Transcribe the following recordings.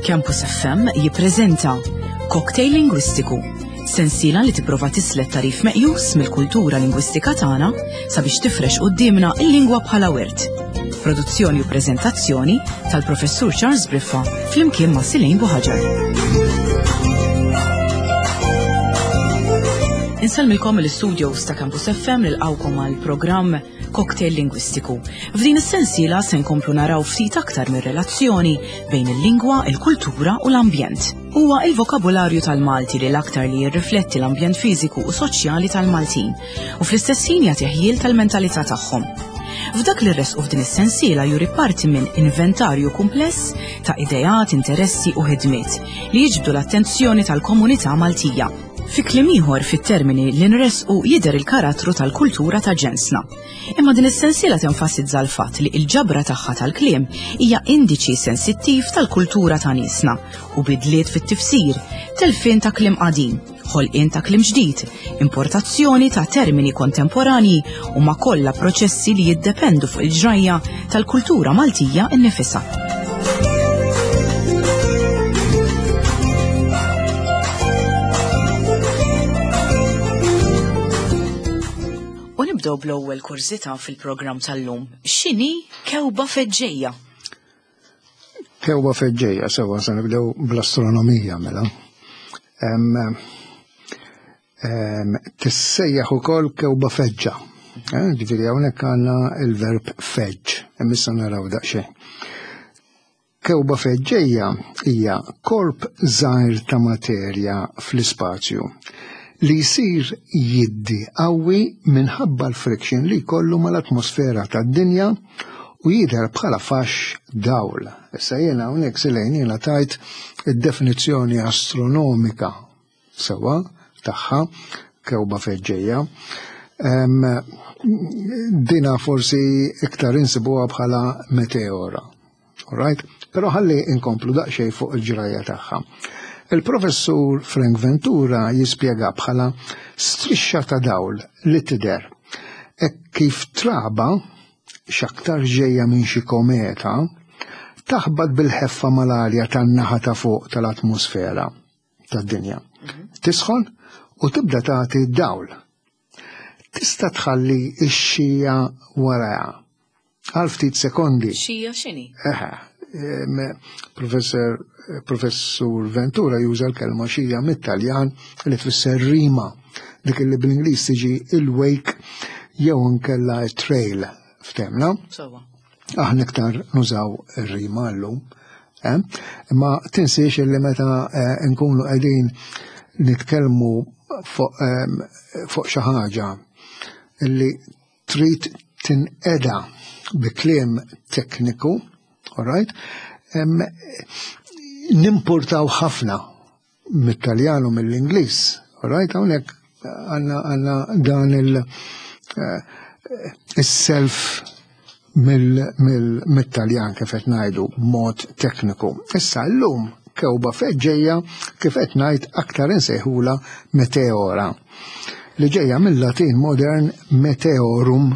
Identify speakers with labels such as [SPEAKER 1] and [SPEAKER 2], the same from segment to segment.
[SPEAKER 1] Campus FM jippreżenta Cocktail Lingwistiku, sensiela li tipprova tislet tarif meqjus mill-kultura lingwistika tagħna sabiex tifrex quddiemna l-lingwa bħala wirt. Produzzjoni u preżentazzjoni tal-Professur Charles Briffa flimkien ma' Silejn Buħaġar. Insellmilkom l-studios ta' Campus FM nilqawkom għal programm Cocktail Lingwistiku. F'din is-sensiela se nkomplu naraw ftit aktar mir-relazzjoni bejn il-lingwa, il-kultura u l-ambjent. Huwa il-vokabularju tal-Malti li l-aktar li jirrifletti l-ambjent fiżiku u soċjali tal-Maltin u fl-istess ħin jagħti ħjiel tal-mentalità tagħhom. F'dak li rresqu f'din is-sensiela juri parti minn inventarju kumpless ta' ideat, interessi u ħidmiet li jiġbdu l-attenzjoni tal-komunità Maltija. Fi kliem ieħor fit-termini li nressqu jidher il-karattru tal-kultura ta' ġensna. Imma din is-sensiela tenfasizza l-fatt li l-ġabra tagħha tal-kliem hija indiċi sensittiv tal-kultura ta' niesna u bidliet fit-tifsir, telfien ta' kliem qadim, ħolqien ta' kliem ġdid, importazzjoni ta' termini kontemporanji huma kollha proċessi li jiddependu fuq il-ġrajja tal-kultura Maltija nnifisha. U nibdew bl-ewwel kurżità fil-programm tal-lum. X'inhi kewba feġġejja?
[SPEAKER 2] Kewba feġġejja, sewa se nibdew bl-astronomija mela. Tissejjaħ ukoll kewba feġġa. Eh, ġifieri hawnhekk għandna il-verb feġġ, imma issa naraw daqsxejn. Kewba feġġejja hija korp żgħir ta' materja fl-ispazju li jsir jiddi qawwi minħabba l-friction li jkollu mal-atmosfera tad-dinja u jidher bħala faxx dawl. Issa jiena hawnhekk silejn jiena tajt id-definizzjoni astronomika sewwa tagħha kewba feġġejja. Dina forsi iktar insibuha bħala meteora. Alright? Però ħalli inkomplu daqsxejn fuq il-ġrajja tagħha. Il-professur Frank Ventura jispjega bħala strixxa ta' dawl li tidher hekk kif traba x'aktar ġejja minn xi kometa taħbat bil-ħeffa mal-arja tan-naħa ta' fuq tal-atmosfera tad-dinja. Mhm. Tisħon u tibda tagħti dawl. Tista' tħalli x-xija warajha għal ftit sekondi.
[SPEAKER 1] Xija x'inhi?
[SPEAKER 2] Eħe, professor Professur Ventura juża l-kelma xija mit-Taljan li tfisser rima, dik li bl-Ingliż tiġi il-wake jew inkella trail ftemna. Aħna iktar nużaw ir-rima llum. Eh? Imma tinsiex li meta eh, nkunu qegħdin nitkellmu fuq ehm, xi ħaġa li trid tinqeda bi kliem tekniku, all right? Nimpurtaw ħafna mit-Taljan u mill-Ingliż, all right? Hawnhekk għandna għandna dan il- eh, self mill-Taljan kif qed ngħidu b'mod tekniku. Issa llum kewba feġġejja kif qed ngħid aktar insejħula meteora li ġejja mill-Latin modern meteorum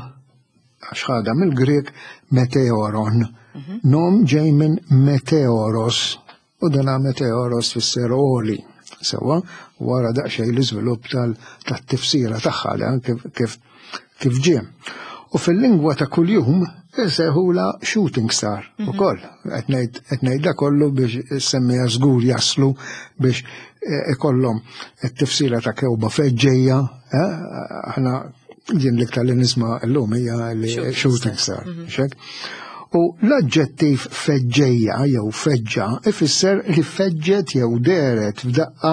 [SPEAKER 2] għax ħadha mill-Grieg meteoron. Mhm. Nom ġej minn meteoros u dana meteoros tfisser għoli. Sewa, wara daqsxejn l-iżvilupp tat-tifsira tagħha dan kif kif ġie. U fil-lingwa ta' kuljum insejħula shooting star mhm. ukoll. Qed ngħid da kollu biex semmija żgur jaslu biex eh, ikollhom it-tifsira ta' kewba feġġejja, eh, aħna jien l-iktar li nisma' llum hija li shooting star. Mhm. Xek? U l-aġġettiv feġġejja jew feġġa ifisser li feġġet jew deret f'daqqa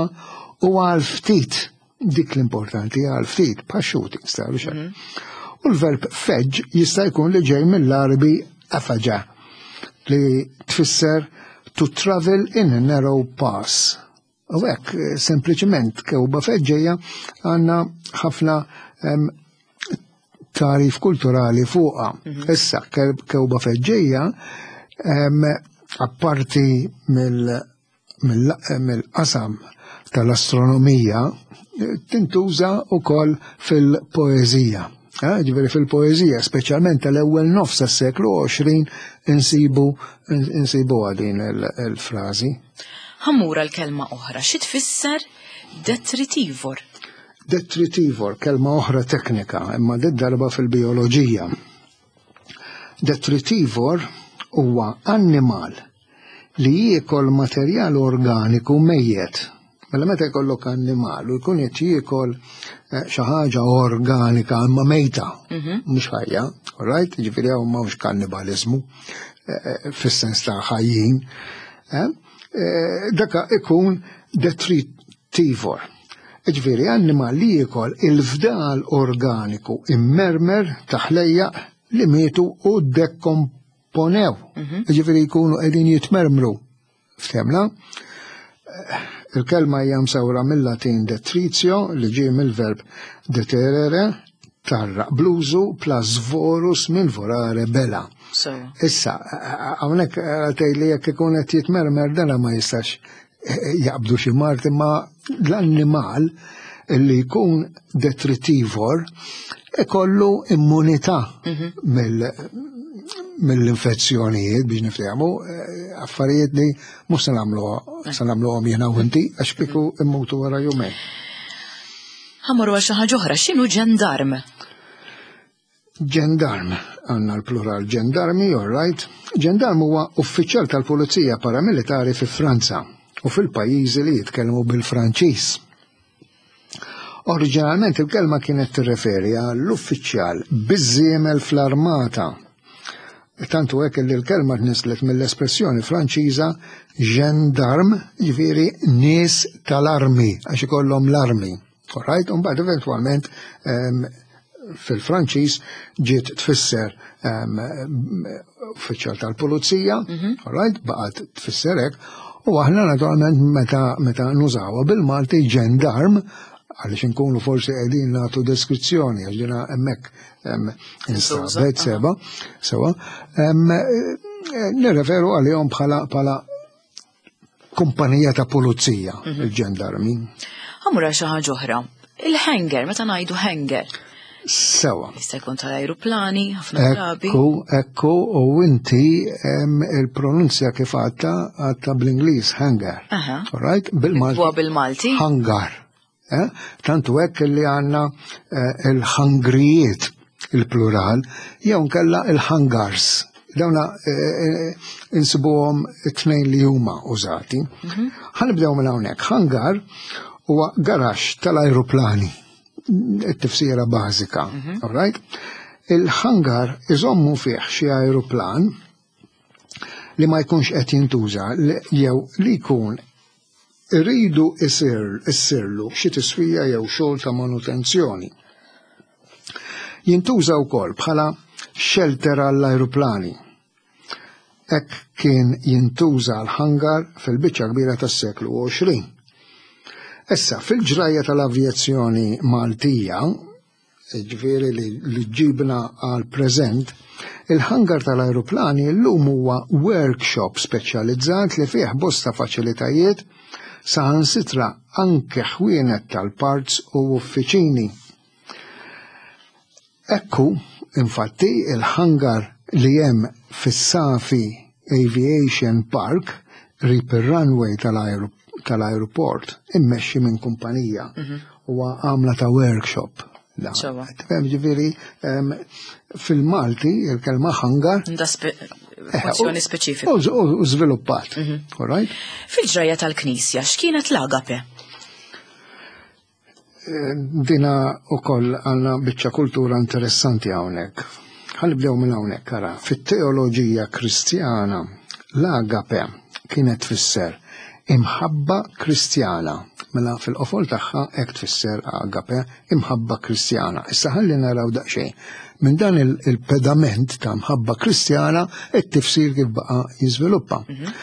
[SPEAKER 2] u għal ftit dik l-importanti għal ftit pa' shooting star. Mhm. U l-verb feġġ jista' jkun li ġej mill-Arabi afaġa li tfisser to travel in a narrow pass. U hekk, eh, sempliċement kewba feġġejja għandna ħafna tarif kulturali fuqha. Mhm. Issa kewba feġġejja apparti mill-qasam tal-astronomija tintuża wkoll fil-poeżija. Eh, ġifieri fil-poeżija, speċjalment tal-ewwel nofs tas-seklu 20 insibu insibuha din il-frażi.
[SPEAKER 1] Ħammura l-kelma oħra, xi tfisser detritivor?
[SPEAKER 2] Detritivor, kelma oħra teknika, imma darba fil-bioloġija. Detritivor huwa annimal li jiekol materjal organiku mejjet. Mela meta jkollok annimal u jkun qed jiekol eh, xi ħaġa organika imma mejta, mhm. mhux ħajja, right? Ġifieri hawn m'hawnx kannibaliżmu eh, eh, fis-sens ta' ħajjin. Daka ikun detritivor. Ġifieri annimal li jiekol il-fdal organiku immermer ta' ħlejjaq li mietu u dekkomponew. Mhm. Ġifieri jkunu qegħdin jitmermru. Ftemna? Il-kelma hija msawra mill-Latin detritio li ġie mill-verb deterere, tarra bluzu plus vorus minn vorare bela. Issa, hawnhekk tgħidli jekk ikun qed jitmermer dana ma jistax eh, jaqbdu xi mart imma l-annimal li jkun detritivor ikollu immunità mhm. mill-infezzjonijiet biex niftehmu eh, affarijiet li mhux se nagħmluha se nagħmluhom jiena u inti għax kieku immutu wara jumejn.
[SPEAKER 1] Ħamorru għal xi ħaġa oħra, x'inhu ġendarm?
[SPEAKER 2] Ġendarm, għandna l-plural ġendarmi, all right. Ġendarm huwa uffiċjal tal-pulizija paramilitari fi Franza u fil-pajjiżi li jitkellmu bil-Franċiż. Oriġinalment il-kelma kienet tirreferi għall-uffiċjal biż-żiemel fl-armata. Tantu hekk li l-kelma tnislet mill-espressjoni Franċiża gendarme, jiġifieri nies tal-armi, għax ikollhom l-armi. Alright, u mbagħad eventwalment ehm, fil-Franċiż ġiet tfisser ehm, uffiċjal tal-pulizija, mhm. alright, baqgħet tfisser hekk, u aħna naturalment meta meta nużawha bil-Malti ġendarm għaliex inkunu forsi qegħdin nagħtu deskrizzjoni għax ġina hemmhekk ehm, instabet seba, sewa, eh, nirreferu għalihom bħala bħala kumpanija ta' pulizija, mhm. il-ġendarmi.
[SPEAKER 1] Għamura xi ħaġa oħra. Il-hanger, meta ngħidu hanger.
[SPEAKER 2] Sewa.
[SPEAKER 1] Jista' jkun tal-ajruplani, ħafna drabi.
[SPEAKER 2] Ekku, ekku, u inti il-pronunzja kif għatta, għatta bl-Ingliż, hanger. Right?
[SPEAKER 1] Bil-Malti. Bil-Malti.
[SPEAKER 2] Hangar. Eh? Tantu hekk li għandna eh, il-ħangrijiet il-plural, jew nkella il-hangars. Dawna eh, insibuhom it-tnejn li huma użati. Mhm. Ħanibdew minn hawnhekk. Hangar huwa garaxx tal-ajruplani. It-tifsira bażika, mhm. all right? Il-hangar iżommu fih xi ajruplan li ma jkunx qed jintuża jew li jkun iridu issirlu xi tiswija jew xogħol ta' manutenzjoni. Jintuża wkoll bħala xelter għall-ajruplani. Hekk kien jintuża l-hangar fil-biċċa kbira tas-seklu 20. Issa, fil-ġrajja tal-avjazzjoni Maltija, jiġifieri li ġġibna għall-preżent, il-hangar tal-ajruplani llum huwa workshop speċjalizzat li fih bosta faċilitajiet, saħansitra anke ħwienet tal-parts u uffiċini. Hekk hu, infatti, il-hangar li hemm fis-Safi Aviation Park qrib ir-runway tal-ajruport immexxi minn kumpanija. Mhm. Huwa għamla ta' workshop. Tifhem ġifieri fil-Malti il-kelma hangar.
[SPEAKER 1] Da eh, funzjoni speċifika.
[SPEAKER 2] U żviluppat. Mhm.
[SPEAKER 1] Fil-ġrajja tal-Knisja x'kienet l-agape?
[SPEAKER 2] Dina u koll għanna bieċa kultura interessanti hawnhekk. Ħanibdew minn hawnhekk ara. Fit-teoloġija Kristjana l-agape kienet tfisser imħabba Kristjana. Mela fil-qofol tagħha hekk tfisser agape, imħabba Kristjana. Issa ħalli naraw daqsxejn. Minn dan il-pedament ta' mħabba Kristjana it-tifsir kif baqa' jiżviluppa. Mhm.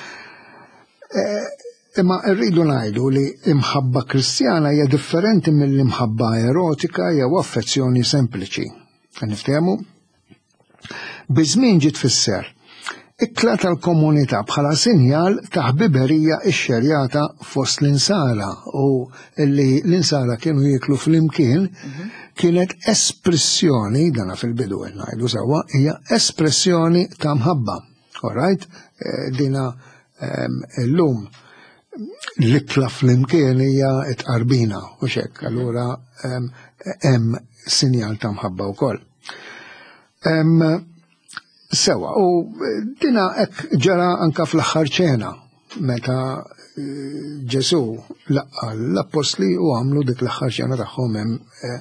[SPEAKER 2] Eh, Imma rridu ngħidu li imħabba Kristjana hija differenti mill-imħabba erotika jew affezzjoni sempliċi. Niftehmu? Biż-żmien ġiet tfisser ikla tal-komunità bħala sinjal ta' ħbiberija xxerjata fost l-insara u li l-insara kienu jieklu flimkien mhm. kienet espressjoni, dana fil-bidu qed ngħidu sewwa, hija espressjoni ta' mħabba. All right? Eh, dina ehm, illum l-ikla flimkien hija t-qarbina u xek, allura ehm, hemm sinjal ta' mħabba wkoll. Ehm, sewa, u dina hekk ġara anka fl-aħħar ċena meta eh, Ġesu laqqa l-appostli u għamlu dik l-aħħar ċena tagħhom hemm eh,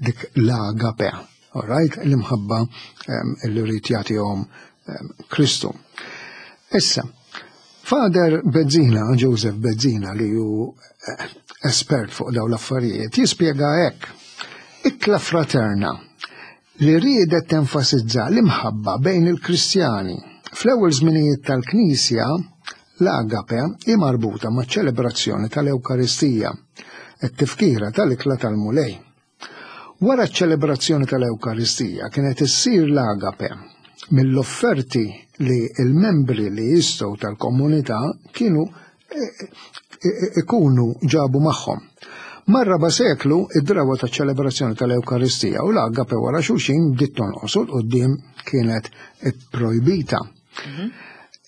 [SPEAKER 2] dik l-agape. All right, l-imħabba ehm, li rrid jagħtihom ehm, Kristu. Issa, Father Bezzina, Joseph Bezzina li hu eh, espert fuq dawn l-affarijiet, jispjega hekk. Ikla fraterna li riedet tenfasizza l-imħabba bejn il-Kristjani. Fl-ewwel żminijiet tal-Knisja, l-agape hi marbuta maċ-ċelebrazzjoni tal-Ewkaristija, it-tifkira tal-ikla tal-Mulej. Wara ċ-ċelebrazzjoni tal-Ewkaristija kienet issir l-agape mill-offerti li l-membri li jistgħu tal-komunità kienu e, e, e, ikunu ġabu magħhom. Mar-raba' seklu, id-drawa ta' ċelebrazzjoni tal-Ewkaristija u l-agape wara xulxin bdiet tonqos u l-qudiem kienet ipprojbita. Mhm.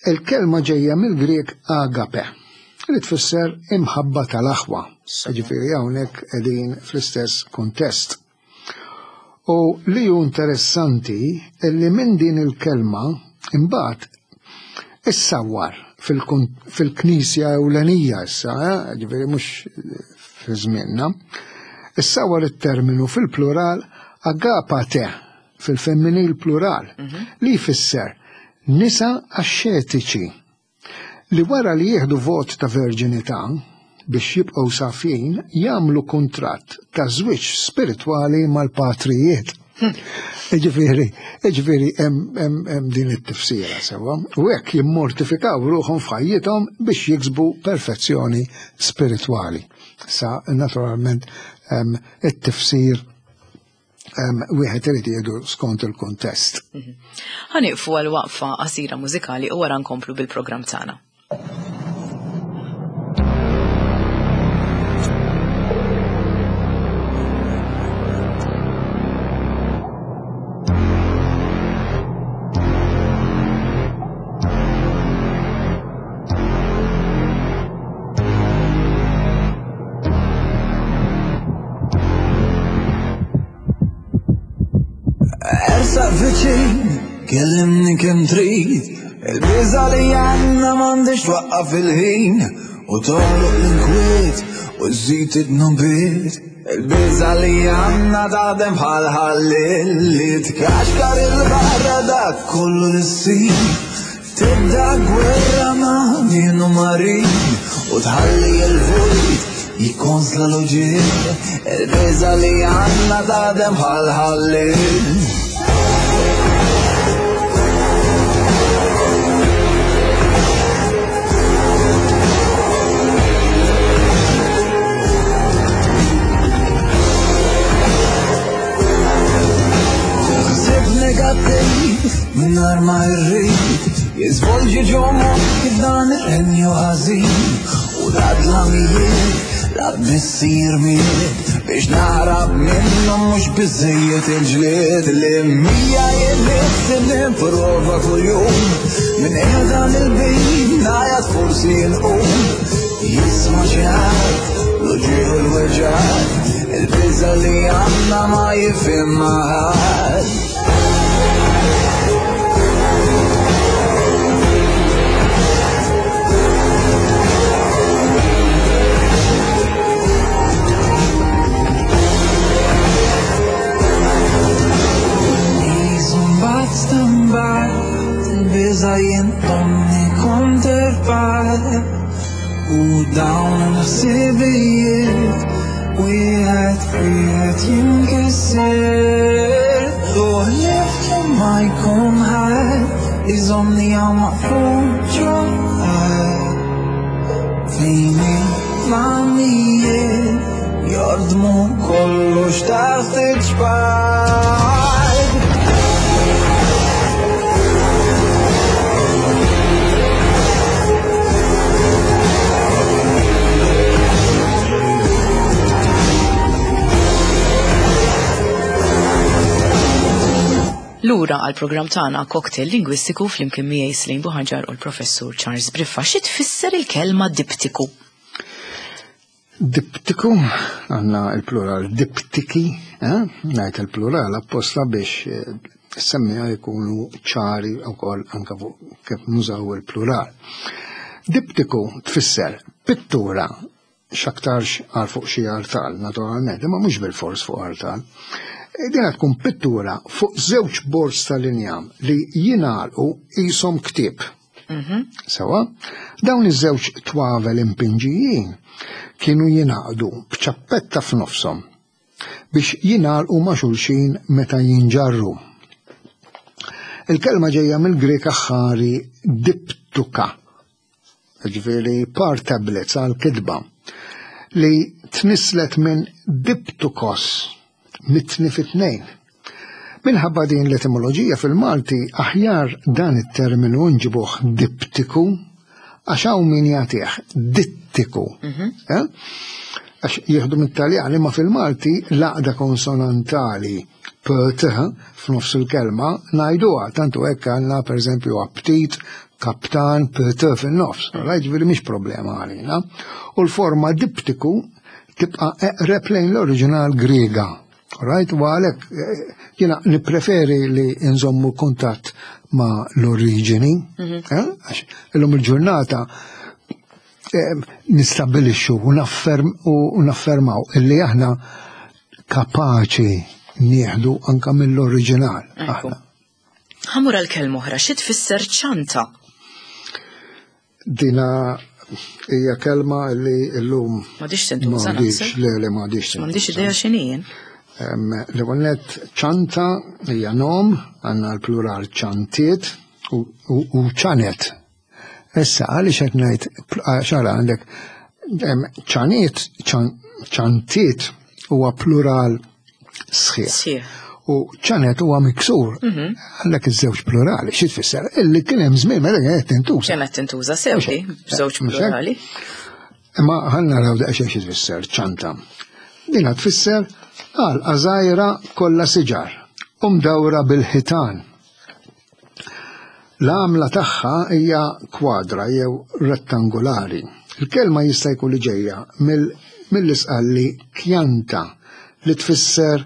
[SPEAKER 2] Il-kelma ġejja mill-Grieg agape, li tfisser imħabba tal-aħwa. Ġifieri hawnhekk qegħdin fl-istess kuntest. U li hu interessanti li minn din il-kelma imbagħad issawwar fil-knisja ewlenija issa, eh, ġifieri mhux fi żmienna, issawwar it-terminu fil-plural agapate fil-femminil plural, mhm. li jfisser nisa axxetiċi li wara li jieħdu vot ta' verġinità biex jibqgħu safjin jagħmlu kuntratt ta' żwieġ spiritwali mal-patrijiet. Ġifieri, ġifieri hemm din it-tifsira sewwa. U hekk jimmortifikaw ruħhom f'ħajjithom biex jiksbu perfezzjoni spiritwali. Sa naturalment it-tifsir wieħed irid jieħdu skont il-kuntest. Mhm.
[SPEAKER 1] Ħaniqfu għal waqfa qasira mużikali u wara nkomplu bil-programm tagħna.
[SPEAKER 3] Ersaq viċin, kellimni kemm trid, il-biża li għandna m'għandix twaqqaf il-ħin u togħloq l-inkwiet u żżid id-dnubiet. Il-biża li għandna taħdem bħal ħallil li tkaxkar il-barra dak kollu li ssir. Tibda gwerra ma' min u marin u tħalli l-vojt jikkonsla l-uġigħ. Il-biża' li għandna taħdem bħal ħallil. Ħsieb negattiv mingħajr ma rrid jiżvolġi ġo moħħi f'dan ir-renju ħażin u la dlamijiet la bissir miet biex naħrab minnhom mhux biżejjed il-ġlied li mija jien nipprova kuljum minn qiegħda mill-bejn ngħajat forsi nqum jisma' xi ħadd l-uġigħ u l-weġgħat il-biża' li għandna ma jifhimha ħadd. Il-biża' jintomni kont irfajt u dawn il-ħsibijiet wieħed wieħed jinkisser u ħlief ma jkun ħadd iżomni hawn maqful ġo fejn il-planijiet jordmu kollox taħt iċ-ċpar.
[SPEAKER 1] Lura għal programm tagħna Cocktail Lingwistiku flimkien miegħi Slane Buħaġar u l-Professur Charles Briffa. Xi tfisser il-kelma diptiku?
[SPEAKER 2] Diptiku, għandna il-plural diptiki, eh? ngħid il-plural apposta biex eh, semmija jkunu ċari wkoll anke fuq kif nużaw il-plural. Diptiku tfisser pittura x'aktarx għal fuq xi artal, naturalment, imma mhux bil-fors fuq artal. E, Dina tkun pittura fuq żewġ bords tal-injam li jingħalqu qishom ktieb. Mhm. Sewa, dawn iż-żewġ twavel impinġijin kienu jingħaqdu b'ċappetta f'nofshom biex jingħalqu ma' xulxin meta jinġarru. Il-kelma ġejja mill-Grek aħħari diptuka, ġifieri par tablets għal kitba li tnisslet minn diptukos, mitni fit-tnejn. Minħabba din l-etimoloġija fil-Malti aħjar dan it-terminu nġibuh diptiku għax hawn min jagħtih dittiku. Mhm. Eh? Għax jieħdu mit-Taljan imma fil-Malti l-għaqda konsonantali p-t f'nofs il-kelma ngħiduha tantu hekk għandna pereżempju aptit, kaptan, p-t fin-nofs. Ġifieri mhix problema għalina. U l-forma diptiku tibqa' eqreb lejn l-oriġinal Griega. Right, u għalhekk eh, jiena nippreferi li nżommu kuntatt ma' l-oriġini, mhm. eh, għax illum il-ġurnata eh, nistabilixxu u naffermaw illi aħna kapaċi nieħdu anka mill-oriġinal. Aħna.
[SPEAKER 1] Ħamur għal kelma oħra, xi tfisser ċanta?
[SPEAKER 2] Dina hija kelma li llum.
[SPEAKER 1] M'għadix tintuża
[SPEAKER 2] naħseb. Le, le m'għadix.
[SPEAKER 1] M'għandix idea x'inhi jien.
[SPEAKER 2] L-ewwel nett ċanta hija nom, għandna l-plural ċantiet u ċanet. Issa għaliex qed ngħid xara għandek ċaniet, ċantiet huwa plural sħiħ. U ċanet huwa miksur. Mhm. Għandek iż-żewġ plurali, xi tfisser? Illi kien hemm żmien meta kienet tintuża.
[SPEAKER 1] Kienet tintuża sewdi, żewġ plurali.
[SPEAKER 2] Imma ħa naraw daqsxejn xi tfisser ċanta. Dina tfisser għal għażajra kollha siġar u mdawra bil-ħitan. L-għamla tagħha hija kwadra jew rettangolari. Il-kelma jista' jkun li ġejja mill-Isqalli kjanta li tfisser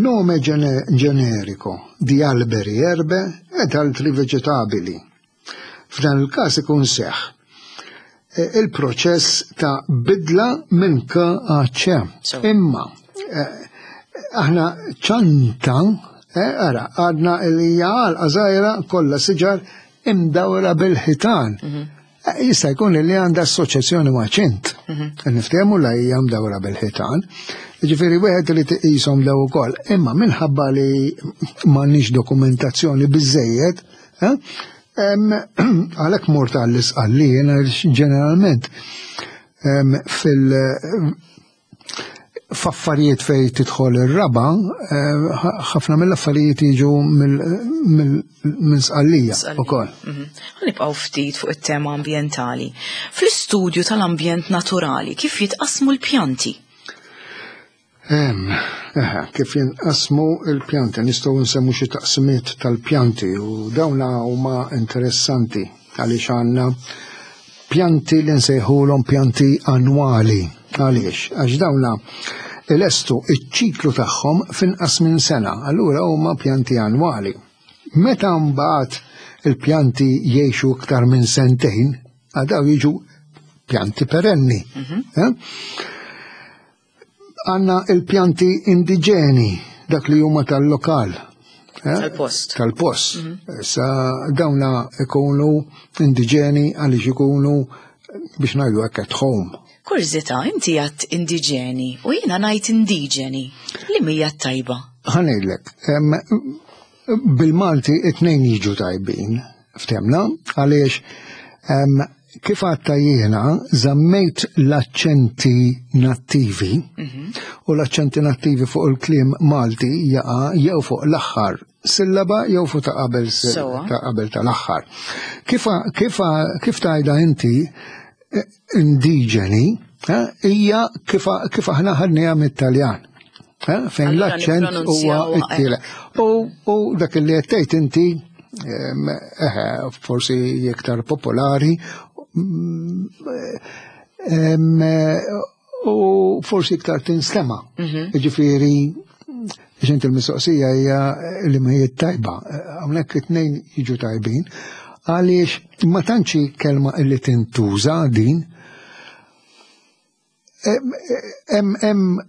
[SPEAKER 2] nome generico di alberi, erbe ed altri vegetabili. F'dan il-każ ikun seħħ e, il-proċess ta' bidla minn K għal C. Imma e, aħna ċanta Eh, ara, għadna li hija għalqa żgħira kollha siġar imdawra bil-ħitan. Mhm. Eh, jista' jkun li għandha assoċjazzjoni ma' ċint. Mhm. Niftehmu la hija mdawra bil-ħitan. Ġifieri wieħed li tiqishom daw ukoll. Imma minħabba li m'għandniex dokumentazzjoni biżejjed, eh, għalhekk mort għall-isqalli jiena ġeneralment fil- f'affarijiet fej tidħol ir-raba, eh, ħafna mill-affarijiet jiġu minn sqallija ukoll.
[SPEAKER 1] Mhm. Nibqgħu ftit fuq it-tema ambjentali. Fl-istudju tal-ambjent naturali kif jitqasmu l-pjanti?
[SPEAKER 2] Eh, kif jinqasmu l-pjanti, nistgħu nsemmu xi taqsimiet tal-pjanti u dawna huma interessanti għaliex għandna pjanti li nsejħulhom pjanti annwali. Għaliex? Għax dawna ilestu iċ-ċiklu tagħhom f'inqas minn sena, allura huma pjanti annwali. Meta mbagħad il-pjanti jgħixu iktar minn sentejn, għadaw jiġu pjanti perenni. Mhm. Eh? Għanna il-pjanti indiġeni, dak li huma tal-lokal.
[SPEAKER 1] Eh? Tal-post.
[SPEAKER 2] Tal-post. Mhm. Sa dawna ikunu indiġeni għaliex ikunu biex ngħidu hekk at home.
[SPEAKER 1] Kurżità, inti għat indiġeni u jiena ngħid indiġeni. Li mija tajba?
[SPEAKER 2] Ħa ngħidlek, bil-Malti it-tnejn jiġu tajbin, ftemna, għaliex kif għatta jiena żammejt l-aċċenti nattivi mhm. u l-aċċenti nattivi fuq il-kliem Malti jaqa' jew fuq l-aħħar sillaba jew fuq ta' qabel ta' qabel tal-aħħar. Kif, kif, kif tajda inti eh, indiġeni eh, hija kif, kif aħna ħadniha mit-Taljan. Eh, fejn l-aċċent huwa t-tielet. U dak li qed tgħid inti eħe, forsi iktar popolari u forsi iktar tinstema. Mhm. Ġifieri biex inti l-mistoqsija hija li ma hija tajba. Hawnhekk it-tnejn jiġu tajbin għaliex ma tantx kelma li tintuża din Hemm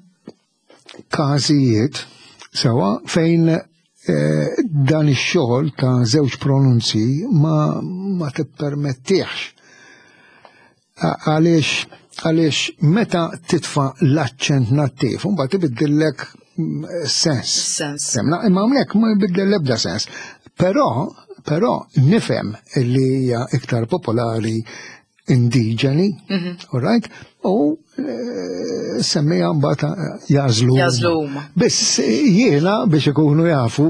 [SPEAKER 2] każijiet sewa fejn eh, dan ix-xogħol ta' żewġ pronunzi ma, ma tippermettihx. Għaliex għaliex meta titfa' l-aċċent nattiv, mbagħad ibiddillek mm, sens.
[SPEAKER 1] Sens.
[SPEAKER 2] Semna, imma hawnhekk ma jbiddel l-ebda sens. Però, però nifhem li hija iktar popolari indiġeni, mhm. all right, u eh, semmija mbagħad eh, jażlu.
[SPEAKER 1] Jażlu huma.
[SPEAKER 2] Biss jiena biex ikunu jafu,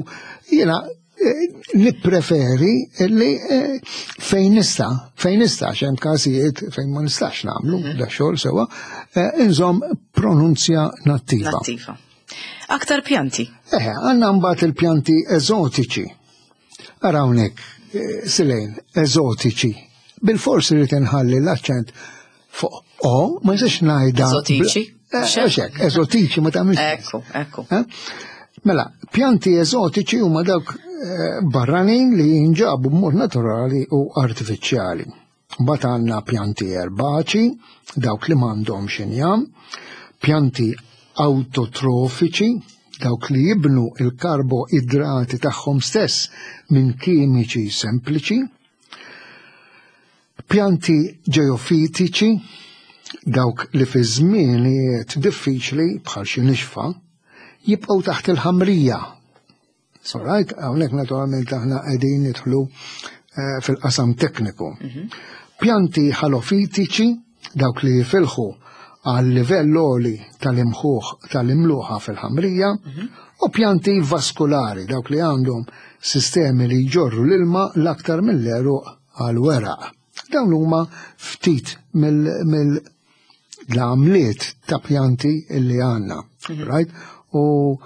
[SPEAKER 2] jiena eh, nippreferi li fejn nista, fejn nista, xem każijiet fejn ma nistax nagħmlu mhm. da xogħol sewa, inżomm pronunzja nattiva.
[SPEAKER 1] Nattiva. Aktar pjanti.
[SPEAKER 2] Eħe, għandna mbagħad il-pjanti eżotiċi. Ara hawnhekk, eh, Silejn, eżotiċi. Bil-fors irid inħalli l-aċċent fuq o, ma jistax ngħidha.
[SPEAKER 1] Eżotiċi.
[SPEAKER 2] Eh, eżotiċi ma tagħmilx.
[SPEAKER 1] Ekku, ekku. Eh?
[SPEAKER 2] Mela, pjanti eżotiċi huma dawk barranin li jinġabu b'mod naturali u artifiċjali. Mbagħad għandna pjanti erbaċi, dawk li m'għandhomx injam, pjanti awtotrofiċi, dawk li jibnu il-karboidrati tagħhom stess minn kimiċi sempliċi, pjanti ġeofitiċi, dawk li fi żmienijiet diffiċli bħal xi nixfa, jibqgħu taħt il-ħamrija. All right, hawnhekk naturalment aħna qegħdin nidħlu eh, fil-qasam tekniku. Mhm. Pjanti ħalofitiċi, dawk li jifilħu għal livell għoli tal-imħuħ tal-imluħa fil-ħamrija, mhm. u pjanti vaskulari, dawk li għandhom sistemi li jġorru l-ilma l-aktar mill-eruq għal weraq. Dawn huma ftit mill l-għamliet ta' pjanti li għanna, mhm. right? U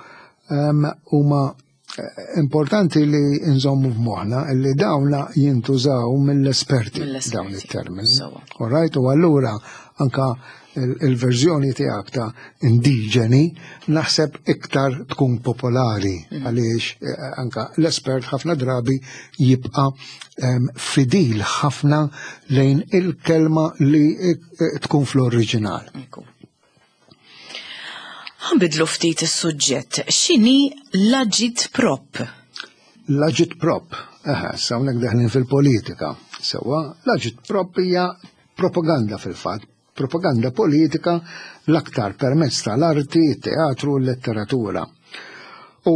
[SPEAKER 2] huma eh, importanti li nżommu f'moħħna li dawna jintużaw mill-esperti dawn it-termini. All right? U allura anka il-verżjoni tiegħek ta' indiġeni naħseb iktar tkun popolari mhm. għaliex eh, anka l-espert ħafna drabi jibqa' fidil ħafna lejn il-kelma li eh, tkun fl-oriġinal.
[SPEAKER 1] Ħanbidlu ftit is-suġġett. X'inhi l-agit prop?
[SPEAKER 2] L-agit prop, eħe, sa hawnhekk deħlin fil-politika. Sewwa, l-agit prop hija propaganda fil-fatt, propaganda politika l-aktar permezz tal-arti, teatru u l-letteratura. U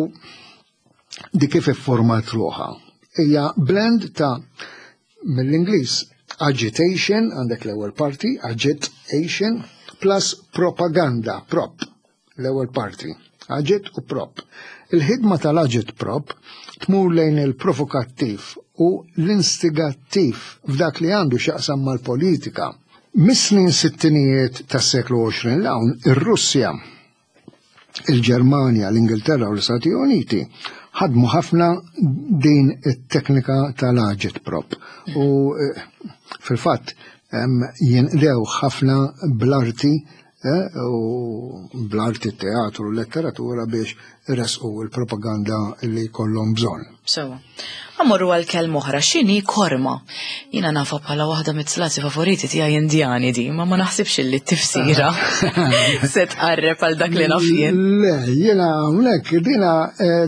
[SPEAKER 2] di kif ifformat ruħha. Hija blend ta' mill-Ingliż agitation, għandek l-ewwel parti, agitation, plus propaganda, prop, l-ewwel parti, agit u prop. Il-ħidma tal-agit prop tmur lejn il-provokattiv u l-instigattiv f'dak li għandu x'jaqsam mal-politika. Mis-snin sittinijiet tas-seklu 20 l-hawn, ir-Russja il-Ġermanja, l-Ingilterra u l-Istati Uniti ħadmu ħafna din it-teknika tal-agitprop. U eh, fil-fatt jinqdew ħafna bl-arti eh, u bl-arti teatru u letteratura biex resqu l-propaganda li kollhom bżonn.
[SPEAKER 1] Sewa. Amorru għal kelma oħra, x'inhi korma? Jiena nafa bħala waħda mit-slati favoriti tiegħi indjani di, ma ma naħsibx li t-tifsira se tqarreb għal dak li naf jien.
[SPEAKER 2] Le, jiena hawnhekk dina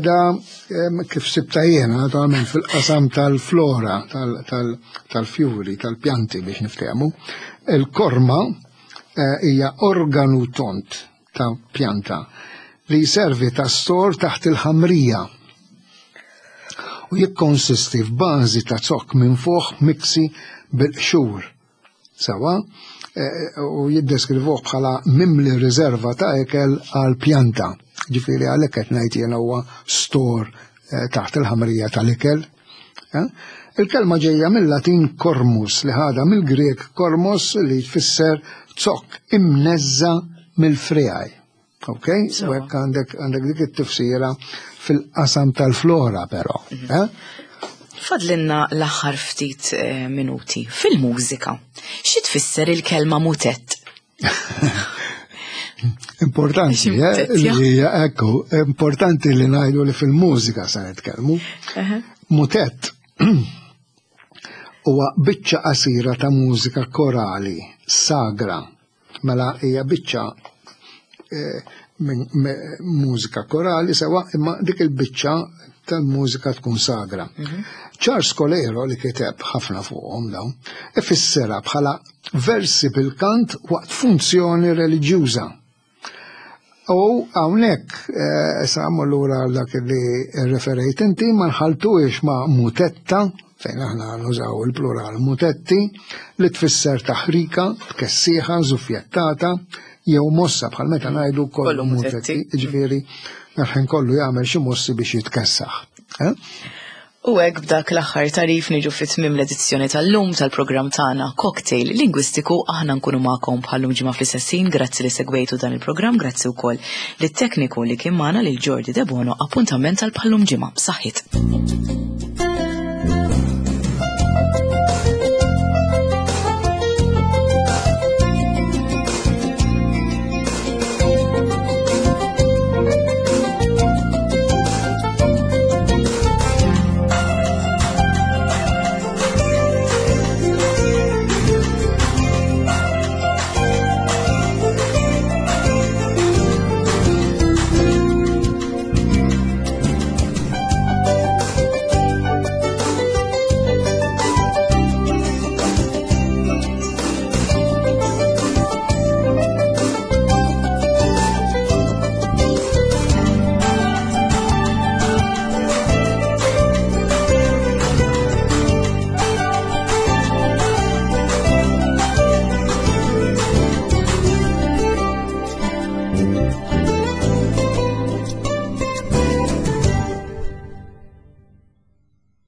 [SPEAKER 2] da kif sibta jiena naturalment fil-qasam tal-flora, tal-fjuri, tal-pjanti biex niftehmu. Il-korma eh, hija organu tont ta' pjanta li jservi ta' stor taħt il-ħamrija u jikkonsisti f'bażi ta' zokk minfuħ miksi bil-qxur. Sawa, eh, u jiddeskrivuh bħala mimli riserva ta' ekel għal pjanta. Ġifieri għalhekk qed ngħid jiena huwa stor eh, taħt il-ħamrija tal-ikel. Eh? Il-kelma ġejja mill-Latin kormus li ħadha mill-Grek kormos li jfisser zokk imneżża mill-friegħi. Ok? U hekk għandek għandek dik it-tifsira fil-qasam tal-flora però. Mhm. Eh?
[SPEAKER 1] Fadlinna l-aħħar ftit eh, minuti fil-mużika. Xi tfisser il-kelma mutett?
[SPEAKER 2] Importanti, eh, li ekku, importanti li ngħidu li fil-mużika se nitkellmu. Mutett huwa biċċa qasira ta' mużika korali, sagra. Mela hija biċċa eh, mużika korali sewa imma dik il-biċċa tal-mużika tkun sagra. Mhm. Charles Colero li kiteb ħafna fuqhom dawn, ifissirha bħala versi bil-kant waqt funzjoni reliġjuża. U hawnhekk eh, sa lura għal dak li referejt inti ma nħaltuhiex ma' mutetta fejn aħna nużaw il-plural mutetti li tfisser taħrika, tkessiħa, żuffjettata jew mossa bħal meta ngħidu kollu mutetti, ġifieri ħin kollu jagħmel xi mossi biex jitkessaħ. Eh?
[SPEAKER 1] U hekk b'dak l-aħħar tagħrif niġu fi tmiem l-edizzjoni tal-lum tal-programm tagħna Cocktail Lingwistiku aħna nkunu magħkom bħallum ġimgħa fl-istess ħin grazzi li segwejtu dan il-programm grazzi wkoll lit-tekniku li kien magħna lil Jordi Debono appuntament tal bħallum ġimgħa. Saħħit.